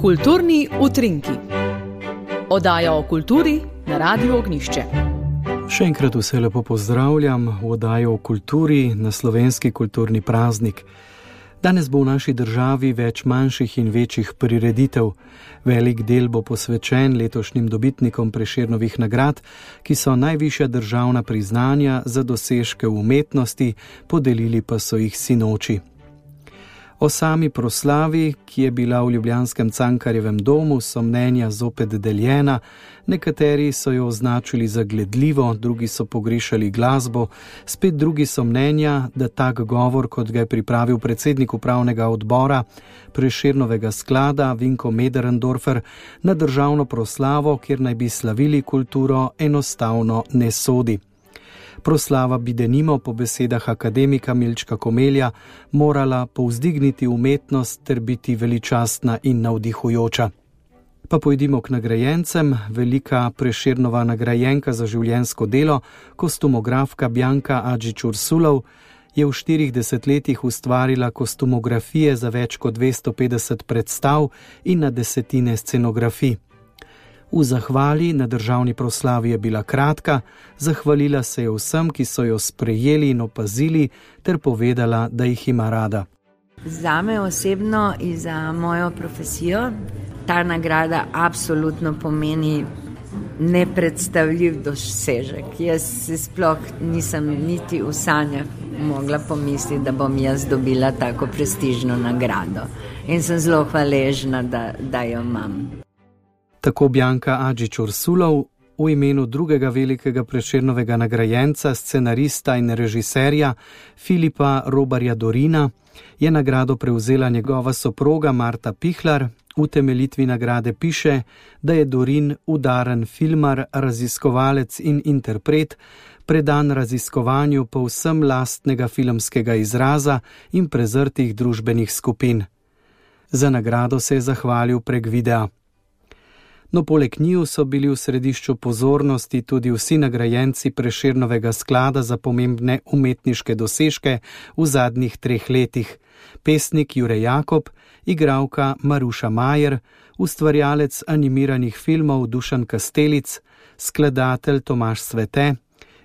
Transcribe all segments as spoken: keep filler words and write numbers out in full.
Kulturni utrinki. Oddaja o kulturi na Radiu Ognjišče. Še enkrat vse lepo pozdravljam v oddaji o kulturi na slovenski kulturni praznik. Danes bo v naši državi več manjših in večjih prireditev. Velik del bo posvečen letošnjim dobitnikom Prešernovih nagrad, ki so najvišja državna priznanja za dosežke v umetnosti, podelili pa so jih sinoči. O sami proslavi, ki je bila v ljubljanskem Cankarjevem domu, so mnenja zopet deljena. Nekateri so jo označili za gledljivo, drugi so pogrešali glasbo, spet drugi so mnenja, da tak govor, kot ga je pripravil predsednik upravnega odbora Prešernovega sklada Vinko Möderndorfer na državno proslavo, kjer naj bi slavili kulturo, enostavno ne sodi. Proslava bi denimo po besedah akademika Milčka Komelja morala povzdigniti umetnost ter biti veličastna in navdihujoča. Pa pojdimo k nagrajencem. Velika Prešernova nagrajenka za življenjsko delo, kostumografka Bjanka Adžić-Ursulov, je v štirih desetletjih ustvarila kostumografije za več kot dvesto petdeset predstav in na desetine scenografij. V zahvali na državni proslavi je bila kratka, zahvalila se je vsem, ki so jo sprejeli in opazili, ter povedala, da jih ima rada. Zame osebno in za mojo profesijo ta nagrada absolutno pomeni nepredstavljiv dosežek. Jaz si sploh nisem niti v sanjah mogla pomisliti, da bom jaz dobila tako prestižno nagrado. In sem zelo hvaležna, da, da jo imam. Tako Bjanka Adžić-Ursulov. V imenu drugega velikega Prešernovega nagrajenca, scenarista in režiserja Filipa Robarja Dorina je nagrado prevzela njegova soproga Marta Pihlar. V temeljitvi nagrade piše, da je Dorin udaren filmar, raziskovalec in interpret, predan raziskovanju povsem lastnega filmskega izraza in prezrtih družbenih skupin. Za nagrado se je zahvalil prek videa. No, poleg njiju so bili v središču pozornosti tudi vsi nagrajenci Prešernovega sklada za pomembne umetniške dosežke v zadnjih treh letih. Pesnik Jure Jakob, igralka Maruša Majer, ustvarjalec animiranih filmov Dušan Kastelic, skladatelj Tomaž Svete,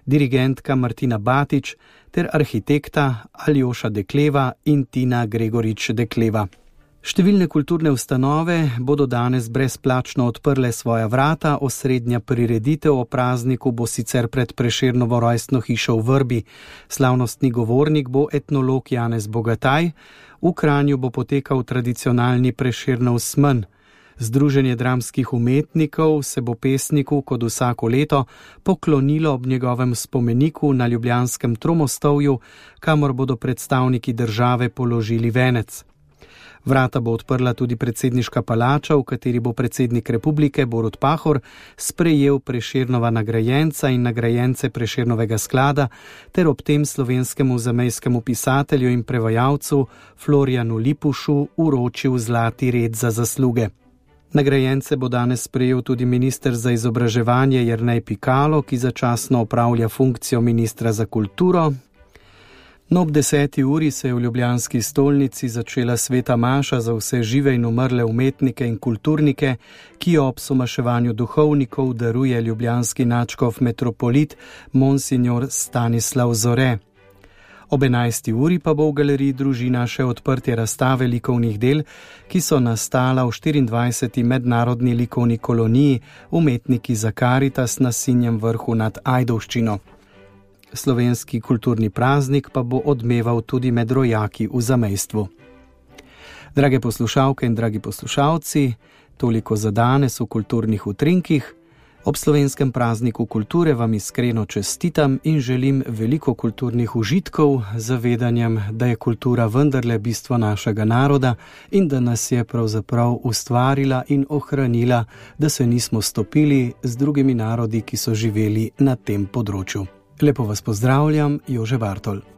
dirigentka Martina Batič ter arhitekta Aljoša Dekleva in Tina Gregorič Dekleva. Številne kulturne ustanove bodo danes brezplačno odprle svoja vrata, osrednja prireditev o prazniku bo sicer pred Prešernovo rojstno hišo v Vrbi. Slavnostni govornik bo etnolog Janez Bogataj, v Kranju bo potekal tradicionalni Prešernov smen. Združenje dramskih umetnikov se bo pesniku, kot vsako leto, poklonilo ob njegovem spomeniku na ljubljanskem Tromostovju, kamor bodo predstavniki države položili venec. Vrata bo odprla tudi predsedniška palača, v kateri bo predsednik republike Borut Pahor sprejel Prešernova nagrajenca in nagrajence Prešernovega sklada ter ob tem slovenskemu zamejskemu pisatelju in prevajalcu Florjanu Lipušu uročil zlati red za zasluge. Nagrajence bo danes sprejel tudi minister za izobraževanje Jernej Pikalo, ki začasno opravlja funkcijo ministra za kulturo. No, ob deseti uri se je v ljubljanski stolnici začela sveta maša za vse žive in umrle umetnike in kulturnike, ki jo ob somaševanju duhovnikov daruje ljubljanski nadškof metropolit Monsignor Stanislav Zore. Ob enajsti uri pa bo v galeriji Družina še odprtje razstave likovnih del, ki so nastala v štiriindvajseti mednarodni likovni koloniji Umetniki za Karitas na Sinjem vrhu nad Ajdovščino. Slovenski kulturni praznik pa bo odmeval tudi med rojaki v zamejstvu. Drage poslušalke in dragi poslušalci, toliko za danes v kulturnih utrinkih. Ob slovenskem prazniku kulture vam iskreno čestitam in želim veliko kulturnih užitkov z zavedanjem, da je kultura vendarle bistvo našega naroda in da nas je pravzaprav ustvarila in ohranila, da se nismo stopili z drugimi narodi, ki so živeli na tem področju. Lepo vas pozdravljam, Jože Bartol.